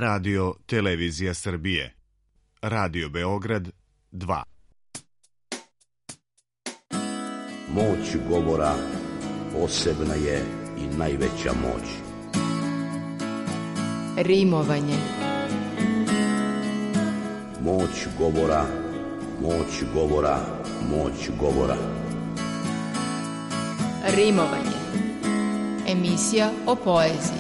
Radio Televizija Srbije. Radio Beograd 2. Moć govora posebna je i najveća moć. Rimovanje. Moć govora, moć govora, moć govora. Rimovanje. Emisija o poeziji.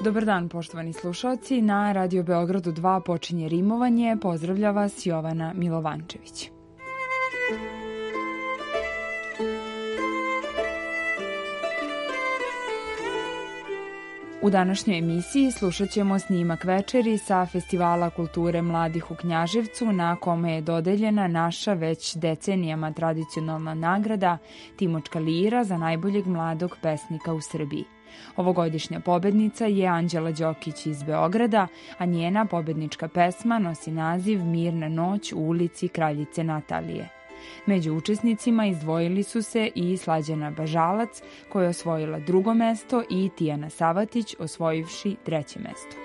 Dobar dan, poštovani slušalci. Na Radio Beogradu 2 počinje rimovanje. Pozdravlja vas Jovana Milovančević. U današnjoj emisiji slušat ćemo snimak večeri sa Festivala kulture mladih u Knjaževcu, na kome je dodeljena naša već decenijama tradicionalna nagrada Timočka lira za najboljeg mladog pesnika u Srbiji. Ovogodišnja pobednica je Anđela Đokić iz Beograda, a njena pobednička pesma nosi naziv Mirna noć u ulici Kraljice Natalije. Među učesnicima izdvojili su se i Slađana Bažalac, koja je osvojila 2. mesto, i Tijana Savatić, osvojivši 3. mesto.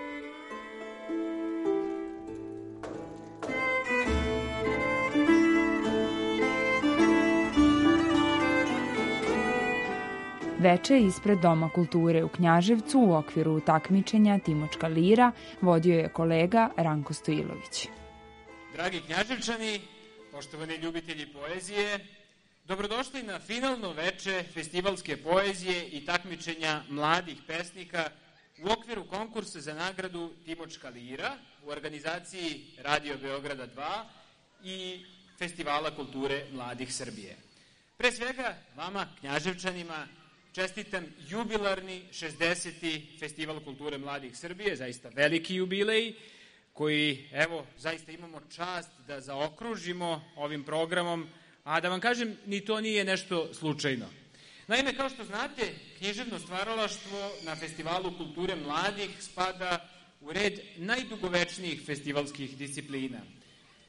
Veče ispred Doma kulture u Knjaževcu u okviru takmičenja Timočka lira vodio je kolega Ranko Stojilović. Dragi Knjaževčani, poštovani ljubitelji poezije, dobrodošli na finalno veče festivalske poezije i takmičenja mladih pesnika u okviru konkursa za nagradu Timočka lira u organizaciji Radio Beograda 2 i Festivala kulture mladih Srbije. Pre svega, vama, Knjaževčanima, čestitam jubilarni 60. Festival kulture mladih Srbije, zaista veliki jubilej, koji, evo, zaista imamo čast da zaokružimo ovim programom, a da vam kažem, ni to nije nešto slučajno. Naime, kao što znate, književno stvaralaštvo na Festivalu kulture mladih spada u red najdugovečnijih festivalskih disciplina.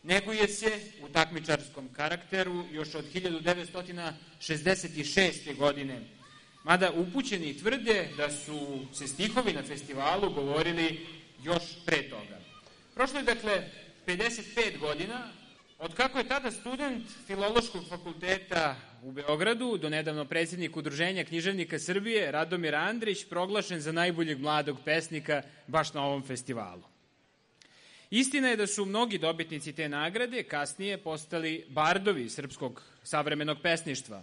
Neguje se u takmičarskom karakteru još od 1966. godine, mada upućeni tvrde da su se stihovi na festivalu govorili još pre toga. Prošlo je, dakle, 55 godina od kako je tada student Filološkog fakulteta u Beogradu, donedavno predsjednik Udruženja književnika Srbije, Radomir Andrić, proglašen za najboljeg mladog pesnika baš na ovom festivalu. Istina je da su mnogi dobitnici te nagrade kasnije postali bardovi srpskog savremenog pesništva.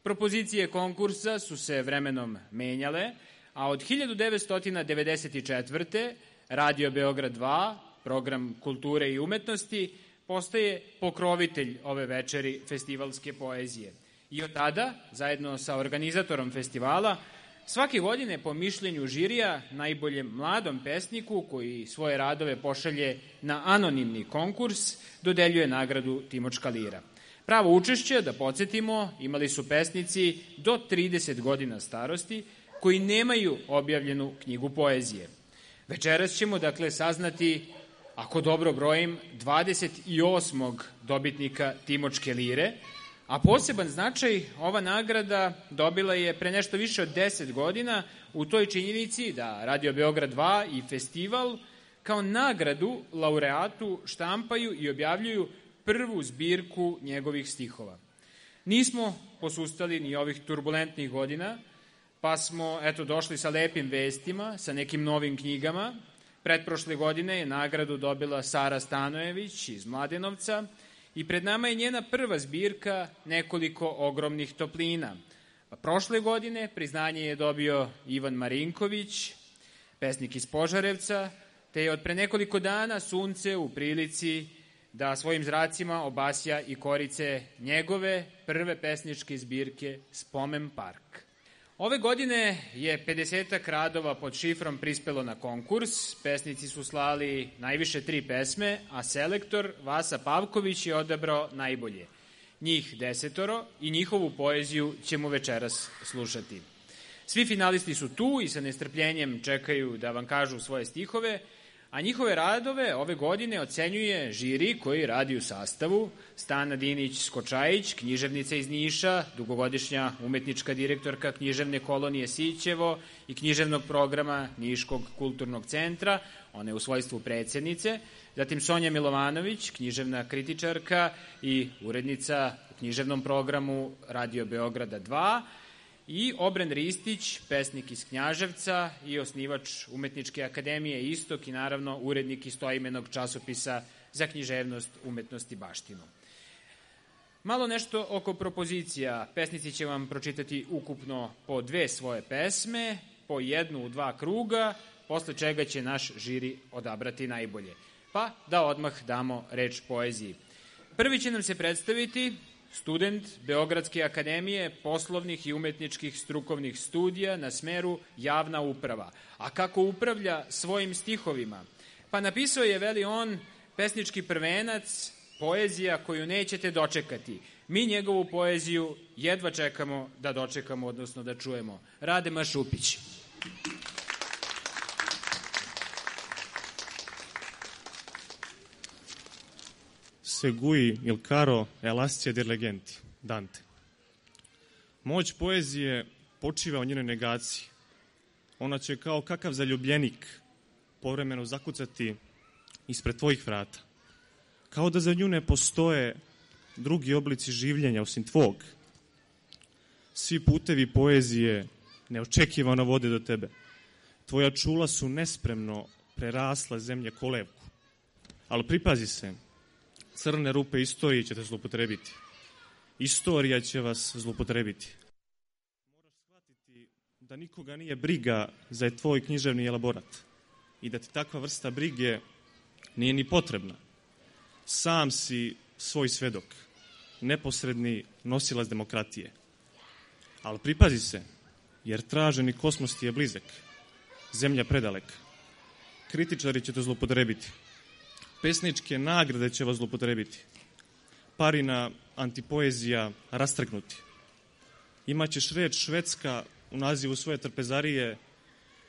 Propozicije konkursa su se vremenom menjale, a od 1994. Radio Beograd 2, program kulture i umetnosti, postaje pokrovitelj ove večeri festivalske poezije. I od tada, zajedno sa organizatorom festivala, svake godine po mišljenju žirija najboljem mladom pesniku koji svoje radove pošalje na anonimni konkurs, dodeljuje nagradu Timočka lira. Pravo učešće, da podsjetimo, imali su pesnici do 30 godina starosti koji nemaju objavljenu knjigu poezije. Večeras ćemo, dakle, saznati, ako dobro brojim, 28. dobitnika Timočke lire, a poseban značaj ova nagrada dobila je pre nešto više od 10 godina u toj činjenici da Radio Beograd 2 i festival kao nagradu laureatu štampaju i objavljuju prvu zbirku njegovih stihova. Nismo posustali ni ovih turbulentnih godina, pa smo, eto, došli sa lepim vestima, sa nekim novim knjigama. Pretprošle godine je nagradu dobila Sara Stanojević iz Mladenovca i pred nama je njena prva zbirka Nekoliko ogromnih toplina. Pa prošle godine priznanje je dobio Ivan Marinković, pesnik iz Požarevca, te je od pre nekoliko dana Sunce u prilici da svojim zracima obasja i korice njegove prve pesničke zbirke Spomen park. Ove godine je 50 radova pod šifrom prispelo na konkurs, pesnici su slali najviše 3 pesme, a selektor Vasa Pavković je odabrao najbolje. Njih 10 i njihovu poeziju ćemo večeras slušati. Svi finalisti su tu i sa nestrpljenjem čekaju da vam kažu svoje stihove, a njihove radove ove godine ocenjuje žiri koji radi u sastavu: Stana Dinić-Skočajić, književnica iz Niša, dugogodišnja umetnička direktorka književne kolonije Sićevo i književnog programa Niškog kulturnog centra, ona je u svojstvu predsjednice, zatim Sonja Milovanović, književna kritičarka i urednica u književnom programu Radio Beograda 2, i Obren Ristić, pesnik iz Knjaževca i osnivač Umetničke akademije Istok i naravno urednik istoimenog časopisa za književnost, umetnost i baštinu. Malo nešto oko propozicija. Pesnici će vam pročitati ukupno po 2 svoje pesme, po 1 u 2 kruga, posle čega će naš žiri odabrati najbolje. Pa da odmah damo reč poeziji. Prvi će nam se predstaviti student Beogradske akademije poslovnih i umetničkih strukovnih studija na smeru javna uprava. A kako upravlja svojim stihovima? Pa napisao je, veli on, pesnički prvenac, poezija koju nećete dočekati. Mi njegovu poeziju jedva čekamo da dočekamo, odnosno da čujemo. Rade Mašupić. Segui il caro elastia dir legenti, Dante. Moć poezije počiva u njenoj negaciji. Ona će kao kakav zaljubljenik povremeno zakucati ispred tvojih vrata. Kao da za nju ne postoje drugi oblici življenja osim tvog. Svi putevi poezije neočekivano vode do tebe. Tvoja čula su nespremno prerasla zemlje kolevku. Ali pripazi se, crne rupe istorije će te zlopotrebiti. Istorija će vas zlopotrebiti. Moraš shvatiti da nikoga nije briga za tvoj književni elaborat i da ti takva vrsta brige nije ni potrebna. Sam si svoj svedok, neposredni nosilac demokratije. Ali pripazi se, jer traženi kosmos ti je blizak, zemlja predaleka. Kritičari će te zlopotrebiti. Pesničke nagrade će vas zlopotrebiti. Parina antipoezija rastrgnuti. Imaćeš reč švedska u nazivu svoje trpezarije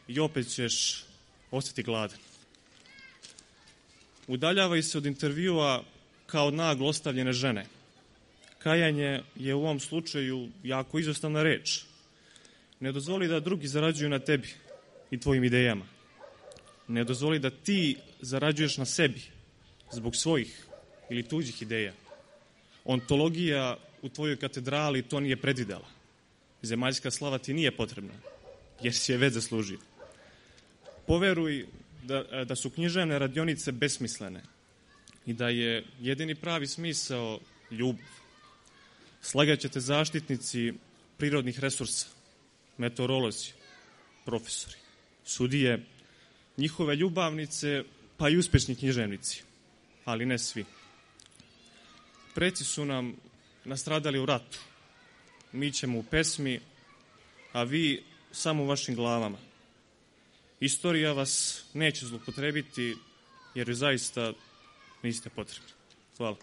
i opet ćeš ostati gladan. Udaljavaj se od intervjua kao od naglo ostavljene žene. Kajanje je u ovom slučaju jako izostavna reč. Ne dozvoli da drugi zarađuju na tebi i tvojim idejama. Ne dozvoli da ti zarađuješ na sebi zbog svojih ili tuđih ideja. Ontologija u tvojoj katedrali to nije predvidela. Zemaljska slava ti nije potrebna, jer si je već zaslužio. Poveruj da su književne radionice besmislene i da je jedini pravi smisao ljubav. Slagaće te zaštitnici prirodnih resursa, meteorolozi, profesori, sudije, njihove ljubavnice, pa i uspešni književnici, ali ne svi. Preci su nam nastradali u ratu. Mi ćemo u pesmi, a vi samo u vašim glavama. Istorija vas neće zlopotrebiti, jer ju zaista niste potrebni. Hvala.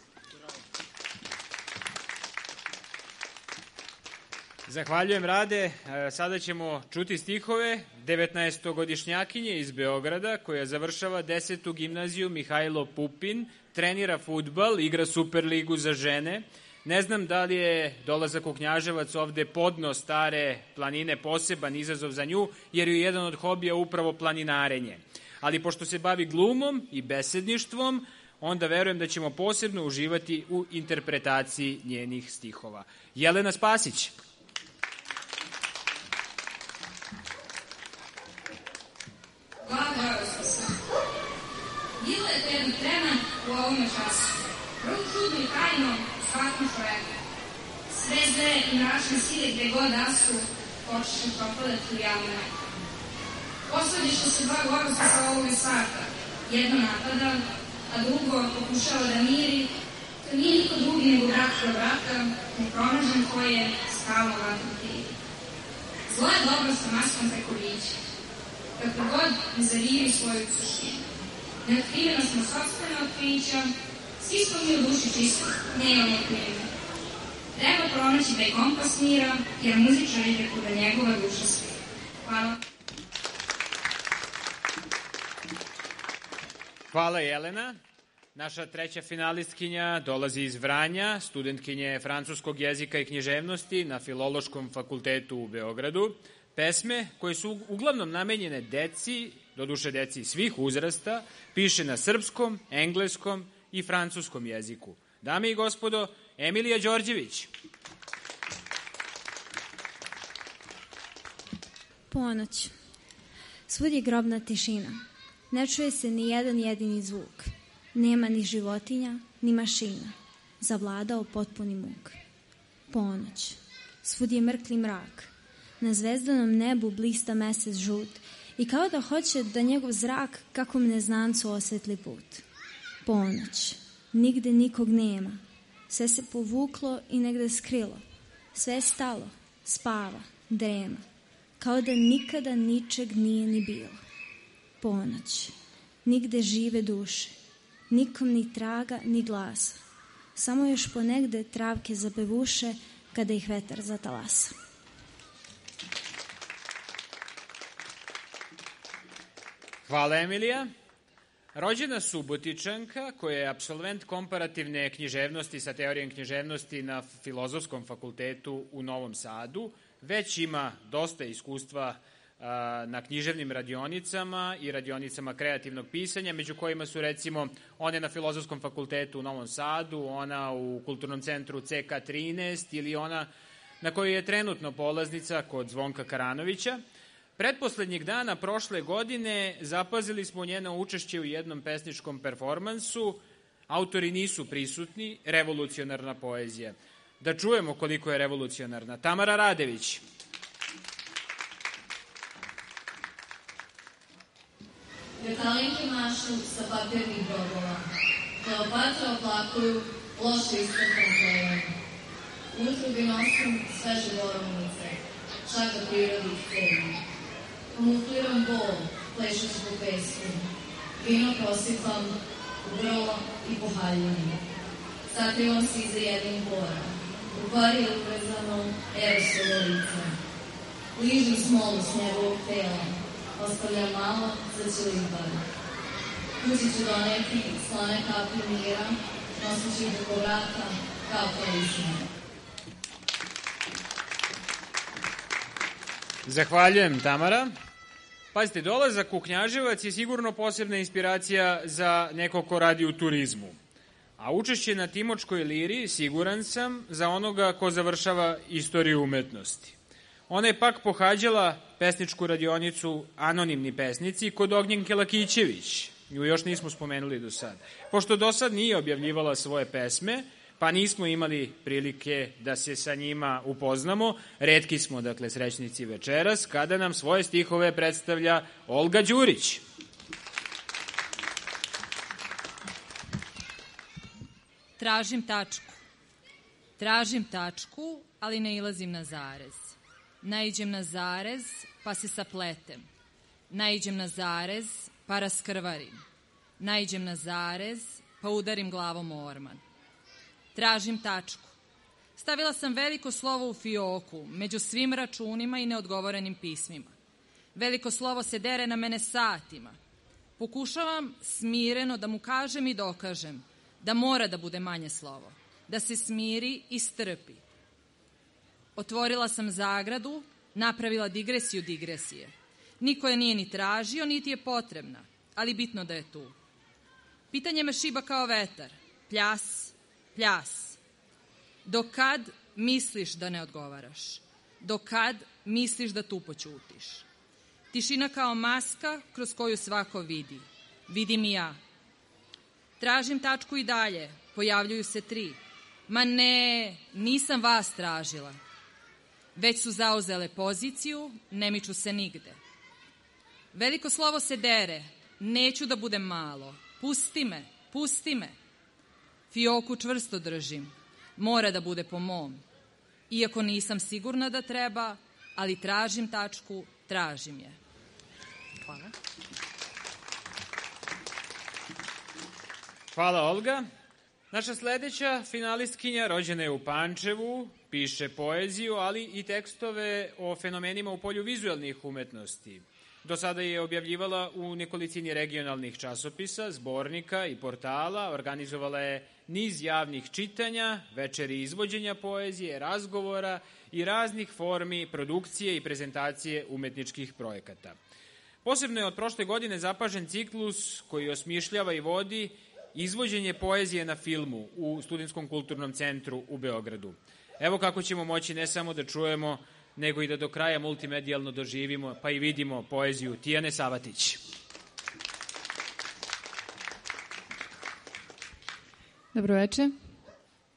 Zahvaljujem, Rade. Sada ćemo čuti stihove 19-godišnjakinje iz Beograda koja završava 10. gimnaziju Mihajlo Pupin, trenira fudbal, igra Superligu za žene. Ne znam da li je dolazak u Knjaževac ovde podno Stare planine poseban izazov za nju, jer je jedan od hobija upravo planinarenje. Ali pošto se bavi glumom i besedništvom, onda verujem da ćemo posebno uživati u interpretaciji njenih stihova. Jelena Spasić. Blago se. Bilo je to jednog trena u ovome času. Vrlo čudno i tajno u svakom čoveku. Sve zle i mračne sile gde god dasu počeše propadati u javnu neku. Posvadiše se dva gorosta sa ovoga svata. Jedno napada, a drugo pokušava da miri. To nije niko drugi nego brat pro brata, nepronažen koji je stalno vatno krivi. Zlo je dobro sa maskom preko bića. Kako god ne zavijaju svoju suštinu. Neotkriveno smo sopstvene otkrića, svi smo mi u duši čisti, nemamo krivine. Treba pronaći da je kompas mira, jer muzičar ide kuda njegova duša svira. Hvala. Hvala, Jelena. Naša treća finalistkinja dolazi iz Vranja, studentkinje francuskog jezika i književnosti na Filološkom fakultetu u Beogradu. Pesme koje su uglavnom namenjene deci, doduše deci svih uzrasta, piše na srpskom, engleskom i francuskom jeziku. Dame i gospodo, Emilija Đorđević. Ponoć. Svud je grobna tišina. Ne čuje se ni jedan jedini zvuk. Nema ni životinja, ni mašina. Zavladao potpuni muk. Ponoć. Svud je mrkli mrak. Na zvezdanom nebu blista mesec žut i kao da hoće da njegov zrak kakvom neznancu osvetli put. Ponoć. Nigde nikog nema. Sve se povuklo i negde skrilo. Sve je stalo, spava, drema. Kao da nikada ničeg nije ni bilo. Ponoć. Nigde žive duše. Nikom ni traga, ni glasa. Samo još ponegde travke zapevuše kada ih vetar zatalasa. Hvala, Emilija. Rođena Subotičanka, koja je apsolvent komparativne književnosti sa teorijom književnosti na Filozofskom fakultetu u Novom Sadu, već ima dosta iskustva na književnim radionicama i radionicama kreativnog pisanja, među kojima su recimo one na Filozofskom fakultetu u Novom Sadu, ona u Kulturnom centru CK13 ili ona na kojoj je trenutno polaznica kod Zvonka Karanovića. Pretposlednjeg dana prošle godine zapazili smo njeno učešće u jednom pesničkom performansu. Autori nisu prisutni, revolucionarna poezija. Da čujemo koliko je revolucionarna. Tamara Radević. Vekalinke mašu sa papirnih brodova. Kleopatra oplakuju loše ispratan plevanje. Utrubi nosim sveže borovnice, čak da prirodi sceni. Kamufliram bol, plešući po pesku. Vino prosipam u grlo i po haljini. Sakrivam se iza jednim bora. U pari je uvezano erosovo lice. Ližim smolu s njegovog tela. Ostavljam malo za ćelipar. Kući ću doneti slane kaplje mira, nosit ih oko vrata kao talisman. Zahvaljujem, Tamara. Pazite, dolazak u Knjaževac je sigurno posebna inspiracija za neko ko radi u turizmu. A učešće na Timočkoj liri, siguran sam, za onoga ko završava istoriju umetnosti. Ona je pak pohađala pesničku radionicu Anonimni pesnici kod Ognjenke Lakićević. Nju još nismo spomenuli do sad. Pošto do sad nije objavljivala svoje pesme, pa nismo imali prilike da se sa njima upoznamo. Retki smo, dakle, srećnici večeras, kada nam svoje stihove predstavlja Olga Đurić. Tražim tačku, ali ne ilazim na zarez. Naiđem na zarez, pa se sapletem. Naiđem na zarez, pa raskrvarim. Naiđem na zarez, pa udarim glavom o orman. Tražim tačku. Stavila sam veliko slovo u fioku, među svim računima i neodgovorenim pismima. Veliko slovo se dere na mene satima. Pokušavam smireno da mu kažem i dokažem da mora da bude manje slovo, da se smiri i strpi. Otvorila sam zagradu, napravila digresiju digresije. Niko je nije ni tražio, niti je potrebna, ali bitno da je tu. Pitanje me šiba kao vetar. Pljas, pljas. Do kad misliš da ne odgovaraš? Do kad misliš da tu poćutiš? Tišina kao maska kroz koju svako vidi. Vidim i ja. Tražim tačku i dalje. Pojavljuju se 3. Ma ne, nisam vas tražila. Već su zauzele poziciju, ne miču se nigde. Veliko slovo se dere. Neću da budem malo. Pusti me, pusti me. Fioku čvrsto držim. Mora da bude po mom. Iako nisam sigurna da treba, ali tražim tačku, tražim je. Hvala. Hvala, Olga. Naša sledeća finalistkinja rođena je u Pančevu, piše poeziju, ali i tekstove o fenomenima u polju vizualnih umetnosti. Do sada je objavljivala u nekolicini regionalnih časopisa, zbornika i portala, organizovala je niz javnih čitanja, večeri izvođenja poezije, razgovora i raznih formi produkcije i prezentacije umetničkih projekata. Posebno je od prošle godine zapažen ciklus koji osmišljava i vodi izvođenje poezije na filmu u Studentskom kulturnom centru u Beogradu. Evo kako ćemo moći ne samo da čujemo, nego i da do kraja multimedijalno doživimo, pa i vidimo poeziju Tijane Savatić. Dobroveče.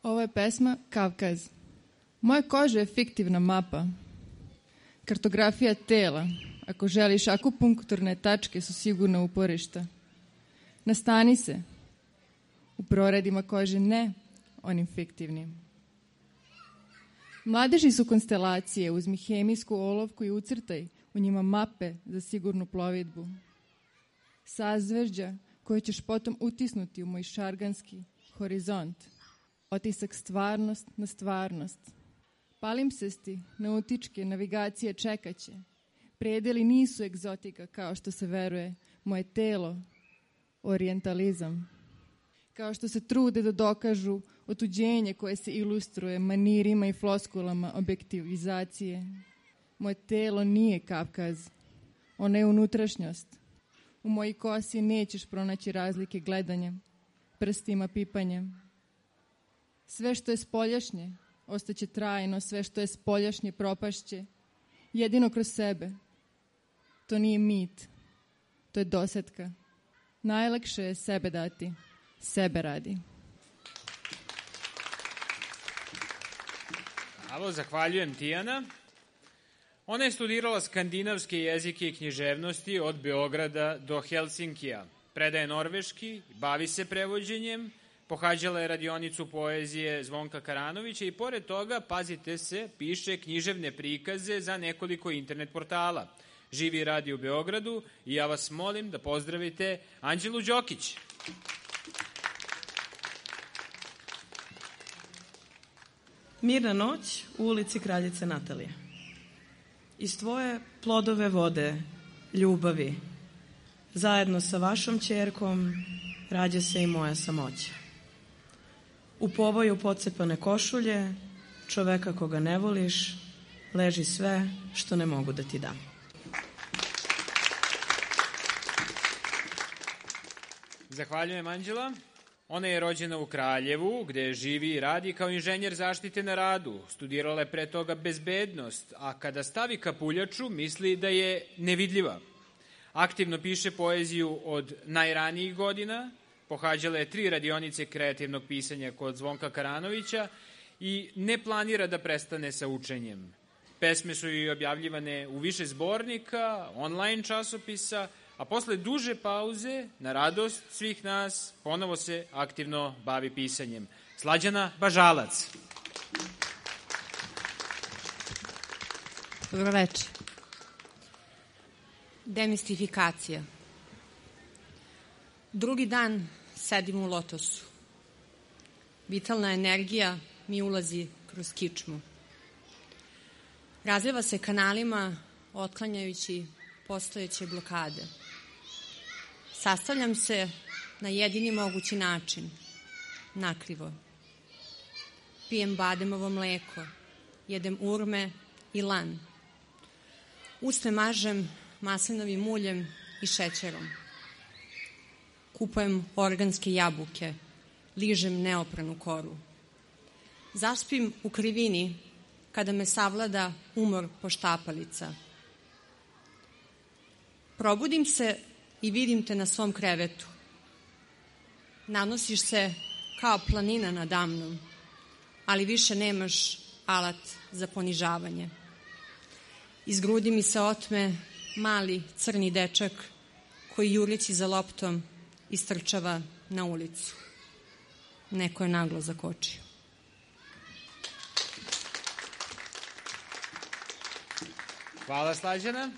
Ovo je pesma Kavkaz. Moja koža je fiktivna mapa. Kartografija tela. Ako želiš, akupunkturne tačke su sigurno uporišta. Nastani se. U proredima kože ne, onim fiktivnim. Mladeži su konstelacije, uzmi hemijsku olovku i ucrtaj u njima mape za sigurnu plovidbu. Sazvežđa koje ćeš potom utisnuti u moj šarganski horizont. Otisak stvarnost na stvarnost. Palimpsesti, nautičke navigacije čekaće. Predeli nisu egzotika kao što se veruje. Moje telo, orijentalizam. Kao što se trude da dokažu otuđenje koje se ilustruje manirima i floskulama objektivizacije. Moje telo nije Kavkaz. Ona je unutrašnjost. U moji kosi nećeš pronaći razlike gledanjem, prstima pipanjem. Sve što je spoljašnje ostaće trajno, sve što je spoljašnje propašće, jedino kroz sebe. To nije mit, to je dosetka. Najlakše je sebe dati, sebe radi. Bravo, zahvaljujem Tijana. Ona je studirala skandinavske jezike i književnosti od Beograda do Helsinkija. Predaje norveški, bavi se prevođenjem, pohađala je radionicu poezije Zvonka Karanovića i pored toga, pazite se, piše književne prikaze za nekoliko internet portala. Živi i radi u Beogradu i ja vas molim da pozdravite Anđelu Đokić. Mirna noć u ulici Kraljice Natalije. Iz tvoje plodove vode, ljubavi, zajedno sa vašom ćerkom rađa se i moja samoća. U povoju pocepane košulje, čoveka koga ne voliš, leži sve što ne mogu da ti dam. Zahvaljujem, Anđela. Ona je rođena u Kraljevu, gde živi i radi kao inženjer zaštite na radu. Studirala je pre toga bezbednost, a kada stavi kapuljaču, misli da je nevidljiva. Aktivno piše poeziju od najranijih godina, pohađala je 3 radionice kreativnog pisanja kod Zvonka Karanovića i ne planira da prestane sa učenjem. Pesme su i objavljivane u više zbornika, online časopisa, a posle duže pauze, na radost svih nas, ponovo se aktivno bavi pisanjem. Slađana Bažalac. Dobroveče. Demistifikacija. Drugi dan sedim u lotosu. Vitalna energija mi ulazi kroz kičmu. Razliva se kanalima, otklanjajući postojeće blokade. Sastavljam se na jedini mogući način, nakrivo. Pijem bademovo mleko, jedem urme i lan. Usne mažem maslinovim uljem i šećerom. Kupujem organske jabuke, ližem neopranu koru. Zaspim u krivini kada me savlada umor poštapalica. Probudim se i vidim te na svom krevetu. Nanosiš se kao planina nadamnom, ali više nemaš alat za ponižavanje. Iz grudi mi se otme mali crni dečak koji jurići za loptom istrčava na ulicu. Neko je naglo zakočio. Hvala, Slađana.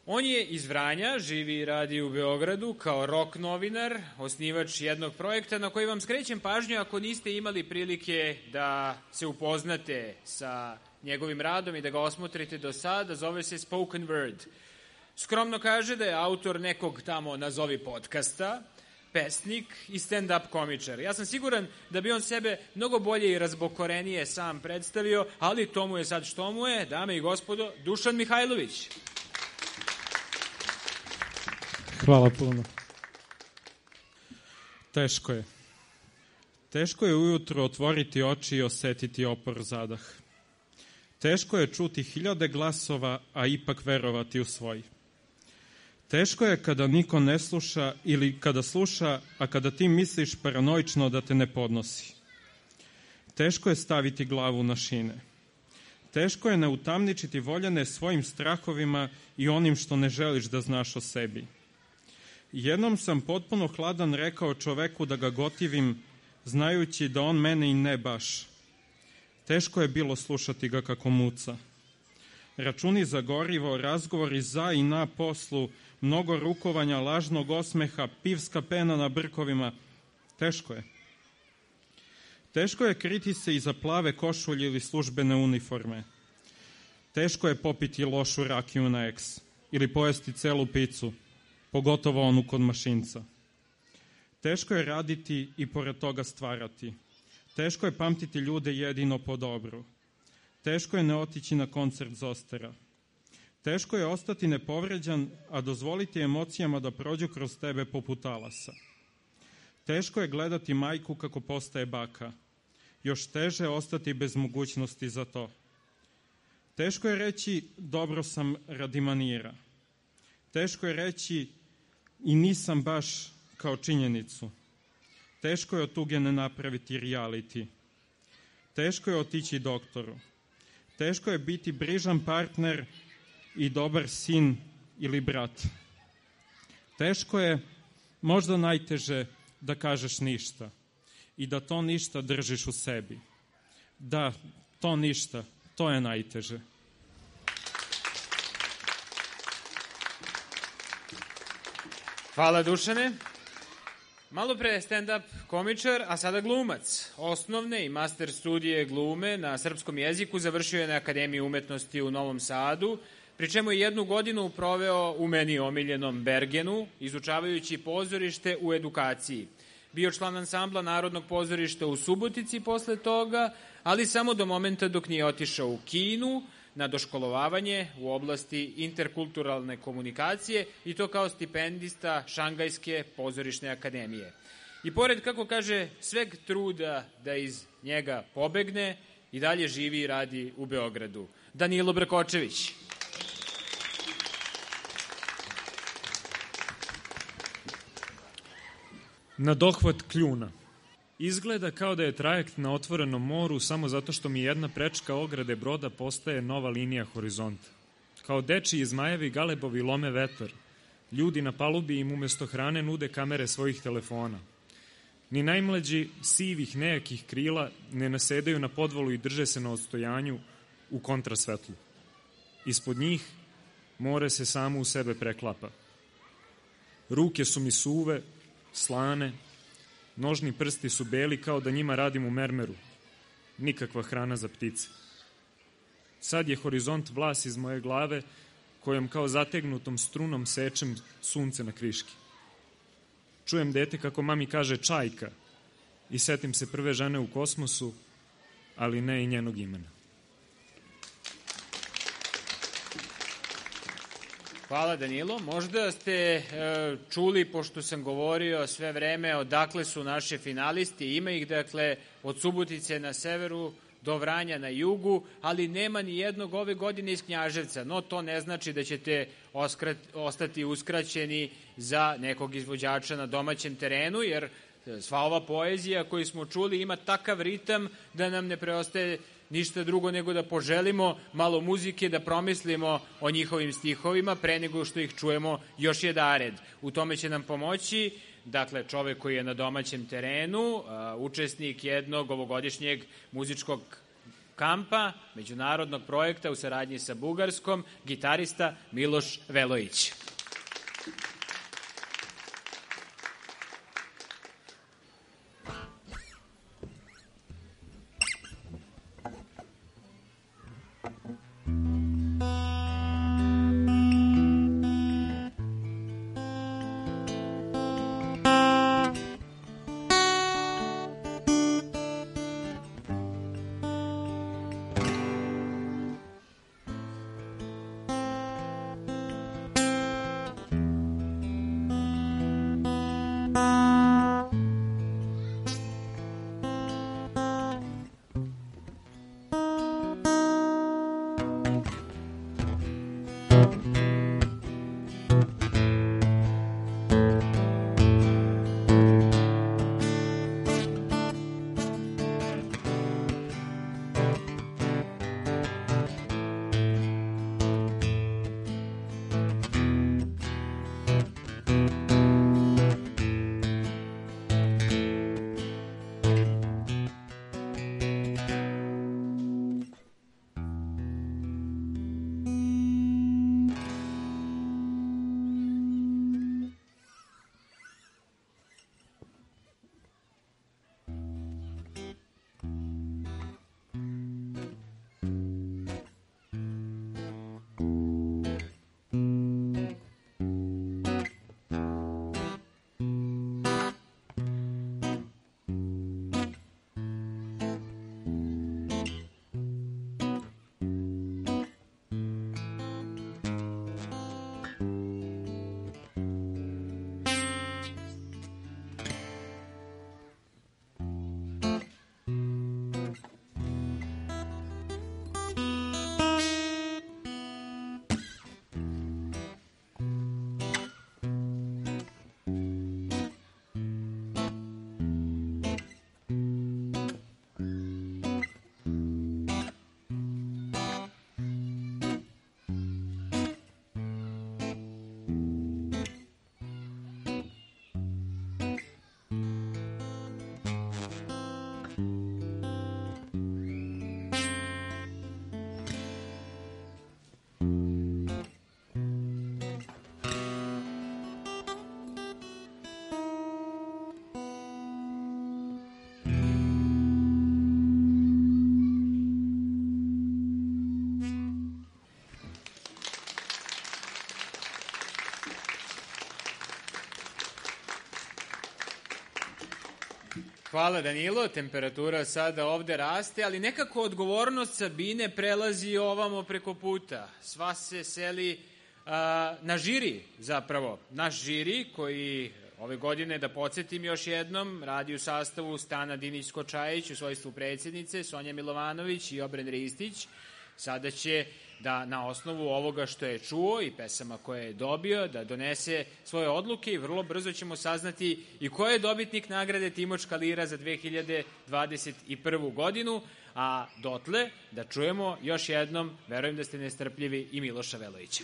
On je iz Vranja, živi i radi u Beogradu kao rock novinar, osnivač jednog projekta na koji vam skrećem pažnju ako niste imali prilike da se upoznate sa njegovim radom i da ga osmotrite do sada, zove se Spoken Word. Skromno kaže da je autor nekog tamo nazovi podcasta, pesnik i stand-up komičar. Ja sam siguran da bi on sebe mnogo bolje i razbokorenije sam predstavio, ali to mu je sad što mu je, dame i gospodo, Dušan Mihajlović. Hvala puno. Teško je. Teško je ujutro otvoriti oči i osetiti opor zadah. Teško je čuti 1000 glasova, a ipak verovati u svoj. Teško je kada niko ne sluša ili kada sluša, a kada ti misliš paranoično da te ne podnosi. Teško je staviti glavu na šine. Teško je ne utamničiti voljene svojim strahovima i onim što ne želiš da znaš o sebi. Jednom sam potpuno hladan rekao čoveku da ga gotivim, znajući da on mene i ne baš. Teško je bilo slušati ga kako muca. Računi za gorivo, razgovori za i na poslu, mnogo rukovanja, lažnog osmeha, pivska pena na brkovima. Teško je. Teško je kriti se iza plave košulje ili službene uniforme. Teško je popiti lošu rakiju na eks ili pojesti celu picu, pogotovo onu kod mašinca. Teško je raditi i pored toga stvarati. Teško je pamtiti ljude jedino po dobru. Teško je ne otići na koncert Zostera. Teško je ostati nepovređan, a dozvoliti emocijama da prođu kroz tebe poput talasa. Teško je gledati majku kako postaje baka. Još teže je ostati bez mogućnosti za to. Teško je reći dobro sam radi manira. Teško je reći i nisam baš kao činjenicu. Teško je od tuge ne napraviti reality. Teško je otići doktoru. Teško je biti brižan partner i dobar sin ili brat. Teško je, možda najteže, da kažeš ništa i da to ništa držiš u sebi. Da, to ništa, to je najteže. Hvala, Dušane. Malo pre stand-up komičar, a sada glumac. Osnovne i master studije glume na srpskom jeziku završio je na Akademiji umetnosti u Novom Sadu, pri čemu je 1 godinu proveo u meni omiljenom Bergenu, izučavajući pozorište u edukaciji. Bio član ansambla Narodnog pozorišta u Subotici posle toga, ali samo do momenta dok nije otišao u Kinu na doškolovavanje u oblasti interkulturalne komunikacije i to kao stipendista Šangajske pozorišne akademije. I pored, kako kaže, sveg truda da iz njega pobegne, i dalje živi i radi u Beogradu. Danilo Brkočević. Na dohvat kljuna. Izgleda kao da je trajekt na otvorenom moru samo zato što mi jedna prečka ograde broda postaje nova linija horizonta. Kao dečiji zmajevi galebovi lome vetar. Ljudi na palubi im umesto hrane nude kamere svojih telefona. Ni najmlađi sivih nejakih krila ne nasedaju na podvalu i drže se na odstojanju u kontrasvetlu. Ispod njih more se samo u sebe preklapa. Ruke su mi suve, slane, nožni prsti su beli kao da njima radim u mermeru. Nikakva hrana za ptice. Sad je horizont vlas iz moje glave kojom kao zategnutom strunom sečem sunce na kriški. Čujem dete kako mami kaže čajka i setim se prve žene u kosmosu, ali ne i njenog imena. Hvala, Danilo. Možda ste čuli, pošto sam govorio sve vreme, odakle su naše finalisti. Ima ih, dakle, od Subotice na severu do Vranja na jugu, ali nema ni jednog ove godine iz Knjaževca. No, to ne znači da ćete ostati uskraćeni za nekog izvođača na domaćem terenu, jer sva ova poezija koju smo čuli ima takav ritam da nam ne preostaje ništa drugo nego da poželimo malo muzike, da promislimo o njihovim stihovima pre nego što ih čujemo još jedared. U tome će nam pomoći, dakle, čovek koji je na domaćem terenu, učesnik jednog ovogodišnjeg muzičkog kampa, međunarodnog projekta u saradnji sa Bugarskom, gitarista Miloš Velojić. Hvala Danilo, temperatura sada ovde raste, ali nekako odgovornost Sabine prelazi ovamo preko puta. Sva se seli na žiri zapravo. Naš žiri koji ove godine, da podsjetim još jednom, radi u sastavu Stana Dinić-Kočajić u svojstvu predsjednice, Sonja Milovanović i Obren Ristić. Sada će da na osnovu ovoga što je čuo i pesama koje je dobio, da donese svoje odluke i vrlo brzo ćemo saznati i ko je dobitnik nagrade Timočka lira za 2021. godinu, a dotle da čujemo još jednom, verujem da ste nestrpljivi, i Miloša Velojića.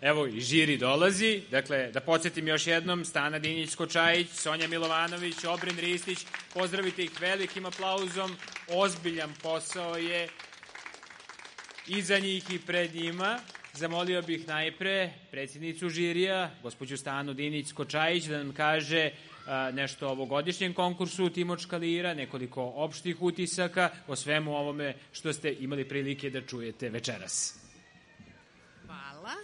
Evo i žiri dolazi, dakle, da podsjetim još jednom, Stana Dinić-Kočajić, Sonja Milovanović, Obren Ristić, pozdravite ih velikim aplauzom, ozbiljan posao je iza njih i pred njima. Zamolio bih najpre predsjednicu žirija, gospođu Stanu Dinić-Kočajić, da nam kaže nešto o ovogodišnjem konkursu Timočka lira, nekoliko opštih utisaka o svemu ovome što ste imali prilike da čujete večeras. Hvala.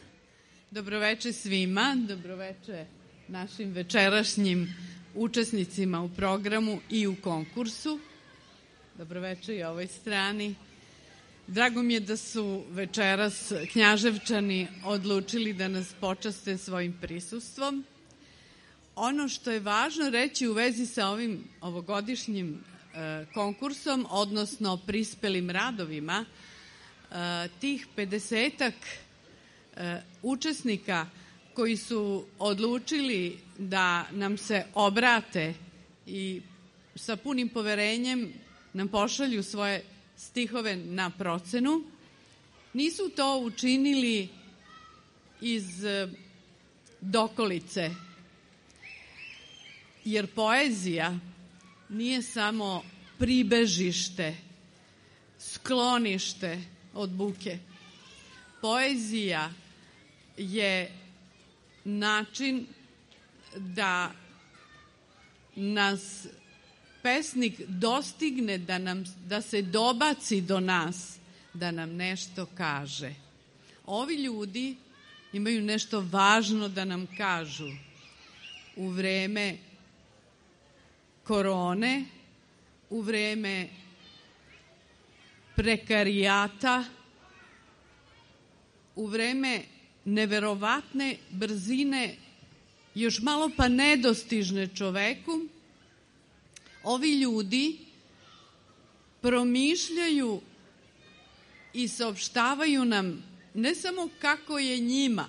Dobroveče svima, dobroveče našim večerašnjim učesnicima u programu i u konkursu. Dobroveče i ovoj strani. Drago mi je da su večeras Knjaževčani odlučili da nas počaste svojim prisustvom. Ono što je važno reći u vezi sa ovim ovogodišnjim konkursom, odnosno prispelim radovima, tih 50-ak učesnika koji su odlučili da nam se obrate i sa punim poverenjem nam pošalju svoje stihove na procenu, nisu to učinili iz dokolice, jer poezija nije samo pribežište, sklonište od buke. Poezija je način da nas pesnik dostigne, da se dobaci do nas, da nam nešto kaže. Ovi ljudi imaju nešto važno da nam kažu u vreme korone, u vreme prekarijata, u vreme neverovatne brzine, još malo pa nedostižne čoveku. Ovi ljudi promišljaju i saopštavaju nam ne samo kako je njima,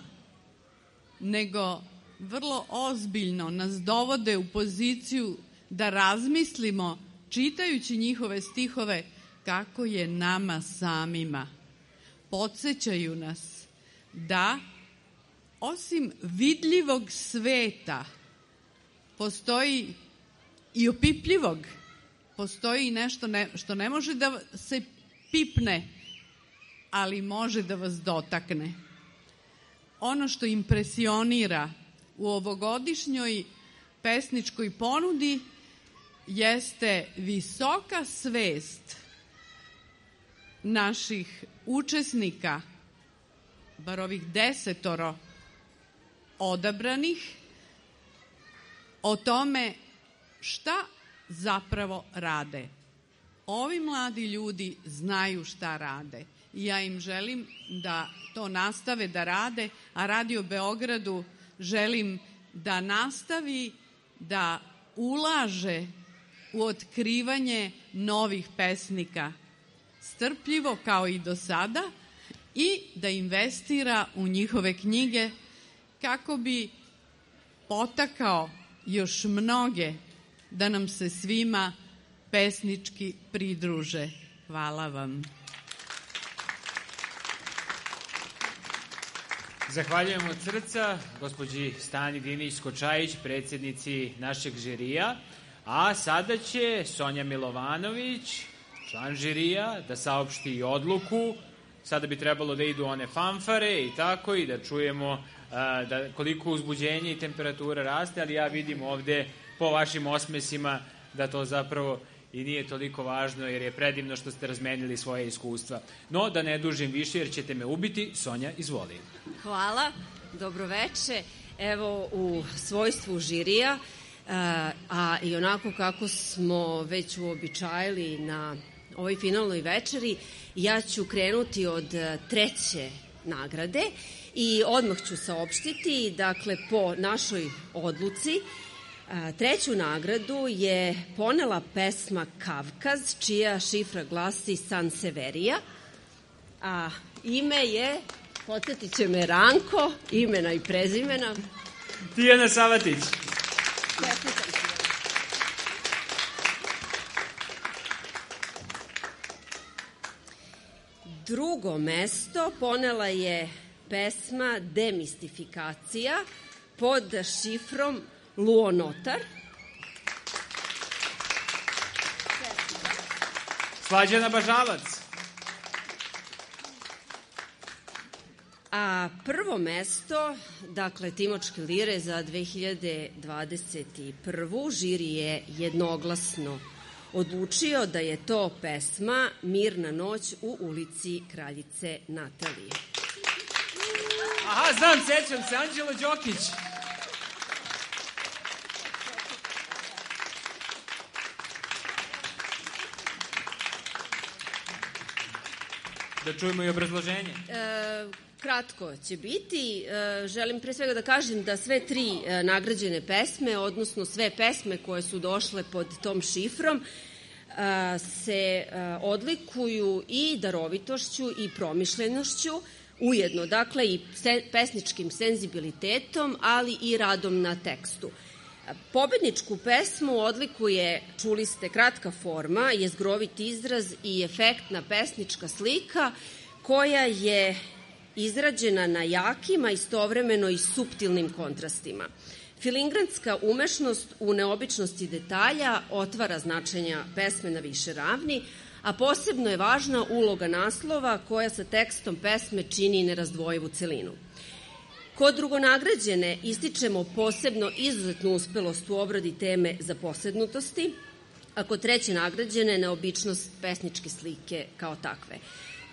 nego vrlo ozbiljno nas dovode u poziciju da razmislimo, čitajući njihove stihove, kako je nama samima. Podsećaju nas da osim vidljivog sveta postoji i opipljivog, postoji nešto što ne može da se pipne, ali može da vas dotakne. Ono što impresionira u ovogodišnjoj pesničkoj ponudi jeste visoka svest naših učesnika, bar ovih 10 odabranih, o tome šta zapravo rade. Ovi mladi ljudi znaju šta rade i ja im želim da to nastave da rade, a Radio Beogradu želim da nastavi da ulaže u otkrivanje novih pesnika, strpljivo kao i do sada, i da investira u njihove knjige kako bi potakao još mnoge da nam se svima pesnički pridruže. Hvala vam. Zahvaljujem od srca gospođi Stani Dinić-Kočajić, predsjednici našeg žirija, a sada će Sonja Milovanović, član žirija, da saopšti i odluku. Sada bi trebalo da idu one fanfare i tako, i da čujemo koliko uzbuđenje i temperatura raste, ali ja vidim ovde po vašim osmesima da to zapravo i nije toliko važno, jer je predivno što ste razmenili svoje iskustva. No, da ne dužim više, jer ćete me ubiti. Sonja, izvoli. Hvala, dobroveče. Evo, u svojstvu žirija, a i onako kako smo već uobičajili na ovoj finalnoj večeri, ja ću krenuti od 3. nagrade i odmah ću saopštiti, dakle, po našoj odluci, 3. nagradu je ponela pesma Kavkaz, čija šifra glasi Sanseverija, a ime je, podsjetit će me Ranko, imena i prezimena, Tijana Savatić. Drugo mesto ponela je pesma Demistifikacija pod šifrom Luonotar. Slađana Bažalac. A prvo mesto, dakle, Timočke lire za 2021. žiri je jednoglasno odlučio da je to pesma Mirna noć u ulici Kraljice Natalije. Aha, znam, sećam se, Anđela Đokić. Da čujemo i obrazloženje. Kratko će biti. Želim pre svega da kažem da sve tri nagrađene pesme, odnosno sve pesme koje su došle pod tom šifrom, se odlikuju i darovitošću i promišljenošću, ujedno, dakle, i pesničkim senzibilitetom, ali i radom na tekstu. Pobedničku pesmu odlikuje, čuli ste, kratka forma, jezgrovit izraz i efektna pesnička slika koja je izrađena na jakim, a istovremeno i suptilnim kontrastima. Filingranska umešnost u neobičnosti detalja otvara značenja pesme na više ravni, a posebno je važna uloga naslova koja sa tekstom pesme čini nerazdvojivu celinu. Kod drugonagrađene ističemo posebno izuzetnu uspelost u obradi teme zaposednutosti, a kod treće nagrađene neobičnost pesničke slike kao takve.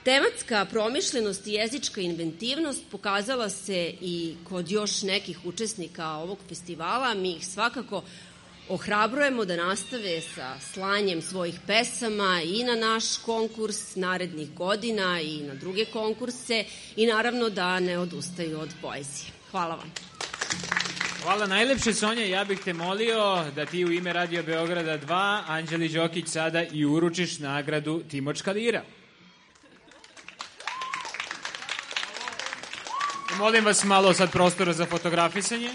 Tematska promišljenost i jezička inventivnost pokazala se i kod još nekih učesnika ovog festivala. Mi ih svakako ohrabrujemo da nastave sa slanjem svojih pesama i na naš konkurs narednih godina i na druge konkurse i naravno da ne odustaju od poezije. Hvala vam. Hvala najlepše, Sonja. Ja bih te molio da ti u ime Radio Beograda 2 Anđeli Đokić sada i uručiš nagradu Timočka lira. Molim vas malo sad prostora za fotografisanje.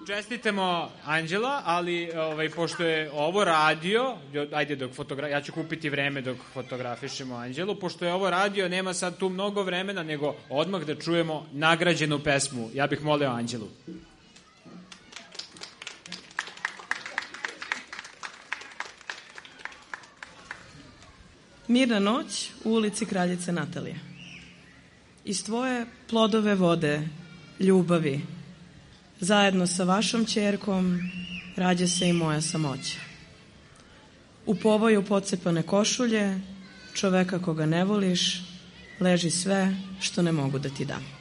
Čestitamo Anđela, ali pošto je ovo radio, ajde ja ću kupiti vreme dok fotografišemo Anđelu, pošto je ovo radio, nema sad tu mnogo vremena, nego odmah da čujemo nagrađenu pesmu. Ja bih molio Anđelu. Mirna noć u ulici Kraljice Natalije. Iz tvoje plodove vode, ljubavi, zajedno sa vašom ćerkom rađa se i moja samoća. U povoju pocepane košulje, čoveka koga ne voliš, leži sve što ne mogu da ti dam.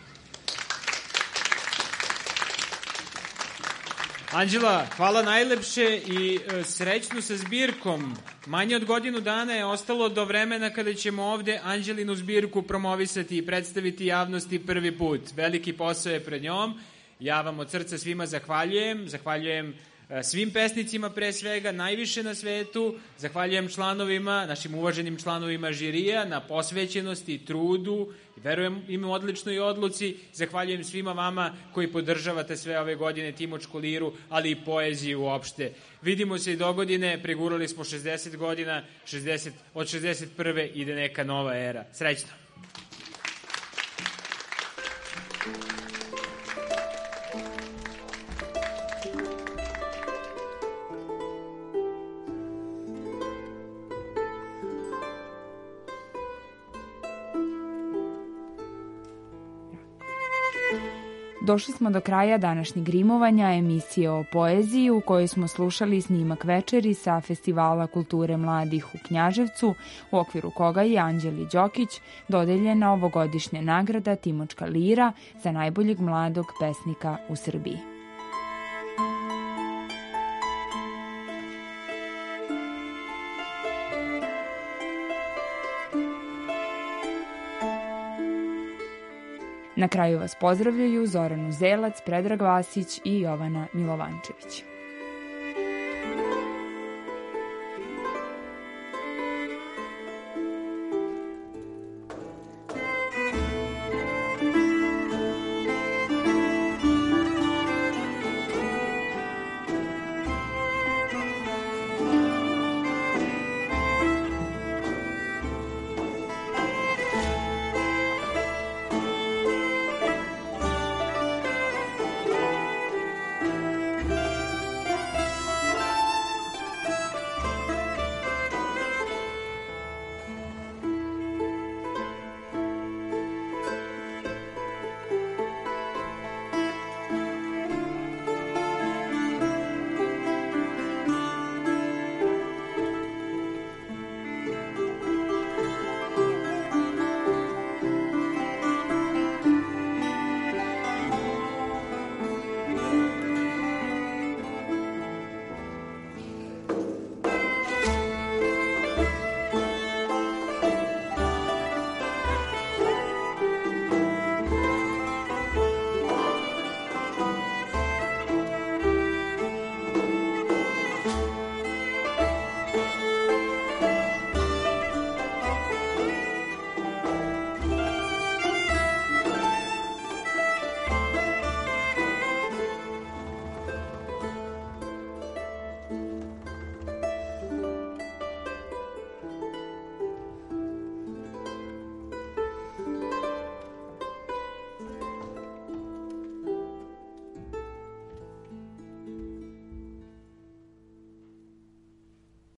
Anđela, hvala najlepše i srećnu sa zbirkom. Manje od godinu dana je ostalo do vremena kada ćemo ovde Anđelinu zbirku promovisati i predstaviti javnosti prvi put. Veliki posao je pred njom. Ja vam od srca svima zahvaljujem. Zahvaljujem svim pesnicima pre svega, najviše na svetu. Zahvaljujem članovima, našim uvaženim članovima žirija na posvećenosti, trudu. Verujem im u odličnoj odluci. Zahvaljujem svima vama koji podržavate sve ove godine Timočku liru, ali i poeziju uopšte. Vidimo se i do godine, pregurali smo 60 godina, od 61. ide neka nova era. Srećno! Došli smo do kraja današnjeg rimovanja emisije o poeziji u kojoj smo slušali snimak večeri sa Festivala kulture mladih u Knjaževcu, u okviru koga je Anđeli Đokić dodeljena ovogodišnja nagrada Timočka lira za najboljeg mladog pesnika u Srbiji. Na kraju vas pozdravljaju Zoran Uzelac, Predrag Vasić i Jovana Milovančević.